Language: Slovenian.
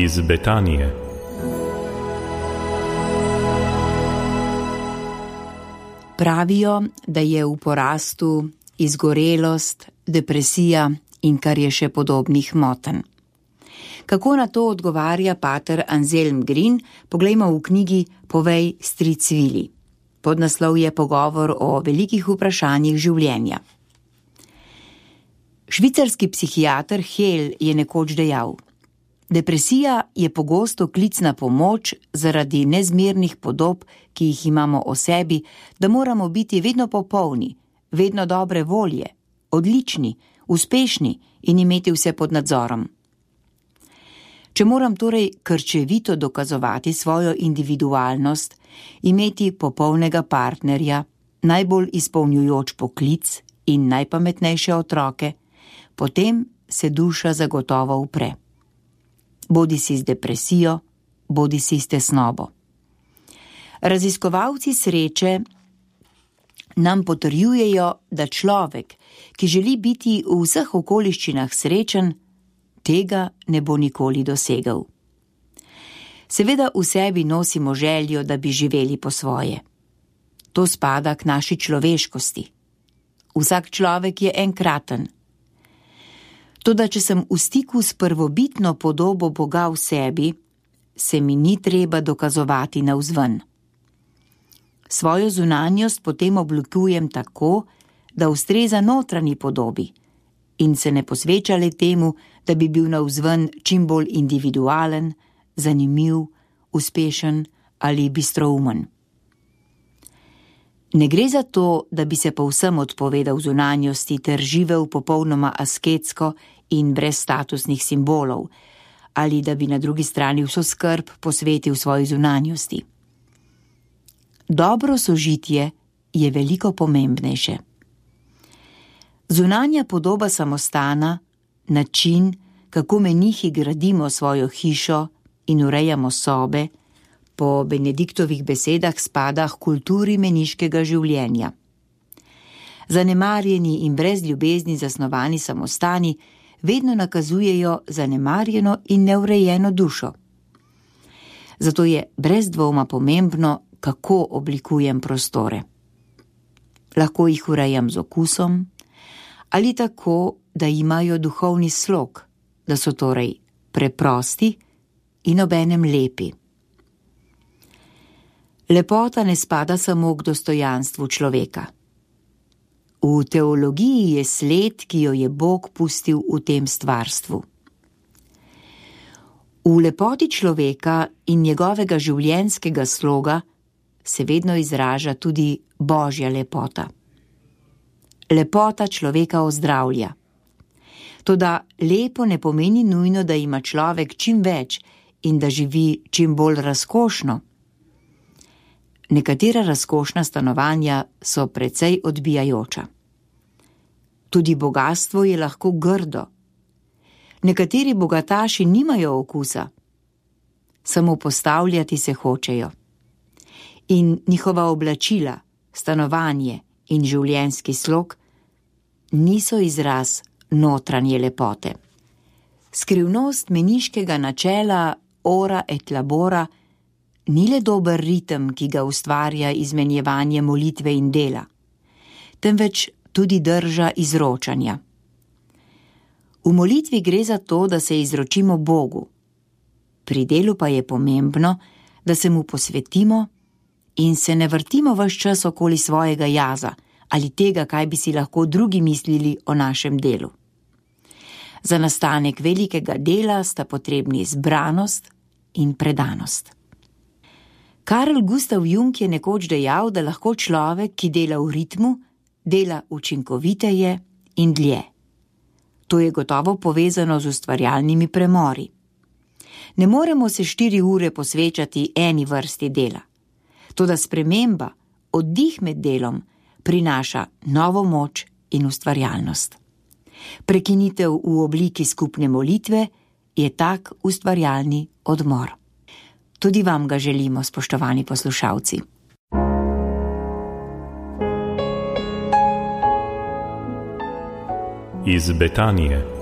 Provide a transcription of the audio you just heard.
Iz Betanije. Pravijo, da je v porastu izgorelost, depresija in kar je še podobnih motenj. Kako na to odgovarja pater Anselm Green, poglejmo v knjigi Povej, stric Vili. Podnaslov je pogovor o velikih vprašanjih življenja. Švicarski psihiater Hel je nekoč dejal: depresija je pogosto klic na pomoč zaradi nezmernih podob, ki jih imamo o sebi, da moramo biti vedno popolni, vedno dobre volje, odlični, uspešni in imeti vse pod nadzorom. Če moram torej krčevito dokazovati svojo individualnost, imeti popolnega partnerja, najbolj izpolnjujoč poklic in najpametnejše otroke, potem se duša zagotovo upre. Bodisi z depresijo, bodisi s tesnobo. Raziskovalci sreče nam potrjujejo, da človek, ki želi biti v vseh okoliščinah srečen, tega ne bo nikoli dosegel. Seveda v sebi nosimo željo, da bi živeli po svoje. To spada k naši človeškosti. Vsak človek je enkraten. Toda če sem v stiku s prvobitno podobo Boga v sebi, se mi ni treba dokazovati navzven. Svojo zunanjost potem oblikujem tako, da ustreza notranji podobi in se ne posveča le temu, da bi bil navzven čim bolj individualen, zanimiv, uspešen ali bistroumen. Ne gre za to, da bi se povsem odpovedal zunanjosti ter živel popolnoma asketsko in brez statusnih simbolov, ali da bi na drugi strani vso skrb posvetil svoji zunanjosti. Dobro sožitje je veliko pomembnejše. Zunanja podoba samostana, način, kako menihi gradimo svojo hišo in urejamo sobe, po Benediktovih besedah spada k kulturi meniškega življenja. Zanemarjeni in brez ljubezni zasnovani samostani vedno nakazujejo zanemarjeno in neurejeno dušo. Zato je brez dvoma pomembno, kako oblikujem prostore. Lahko jih urejam z okusom ali tako, da imajo duhovni slog, da so torej preprosti in obenem lepi. Lepota ne spada samo k dostojanstvu človeka. V teologiji je sled, ki jo je Bog pustil v tem stvarstvu. V lepoti človeka in njegovega življenjskega sloga se vedno izraža tudi Božja lepota. Lepota človeka ozdravlja. Toda lepo ne pomeni nujno, da ima človek čim več in da živi čim bolj razkošno. Nekatera razkošna stanovanja so precej odbijajoča. Tudi bogastvo je lahko grdo. Nekateri bogataši nimajo okusa, samo postavljati se hočejo. In njihova oblačila, stanovanje in življenjski slog niso izraz notranje lepote. Skrivnost meniškega načela ora et labora ni le dober ritem, ki ga ustvarja izmenjevanje molitve in dela, temveč tudi drža izročanja. V molitvi gre za to, da se izročimo Bogu. Pri delu pa je pomembno, da se mu posvetimo in se ne vrtimo ves čas okoli svojega jaza ali tega, kaj bi si lahko drugi mislili o našem delu. Za nastanek velikega dela sta potrebni zbranost in predanost. Carl Gustav Jung je nekoč dejal, da lahko človek, ki dela v ritmu, dela učinkoviteje in dlje. To je gotovo povezano z ustvarjalnimi premori. Ne moremo se 4 ure posvečati eni vrsti dela. Toda sprememba, oddih med delom, prinaša novo moč in ustvarjalnost. Prekinitev v obliki skupne molitve je tak ustvarjalni odmor. Tudi vam ga želimo, spoštovani poslušalci. Iz Betanije.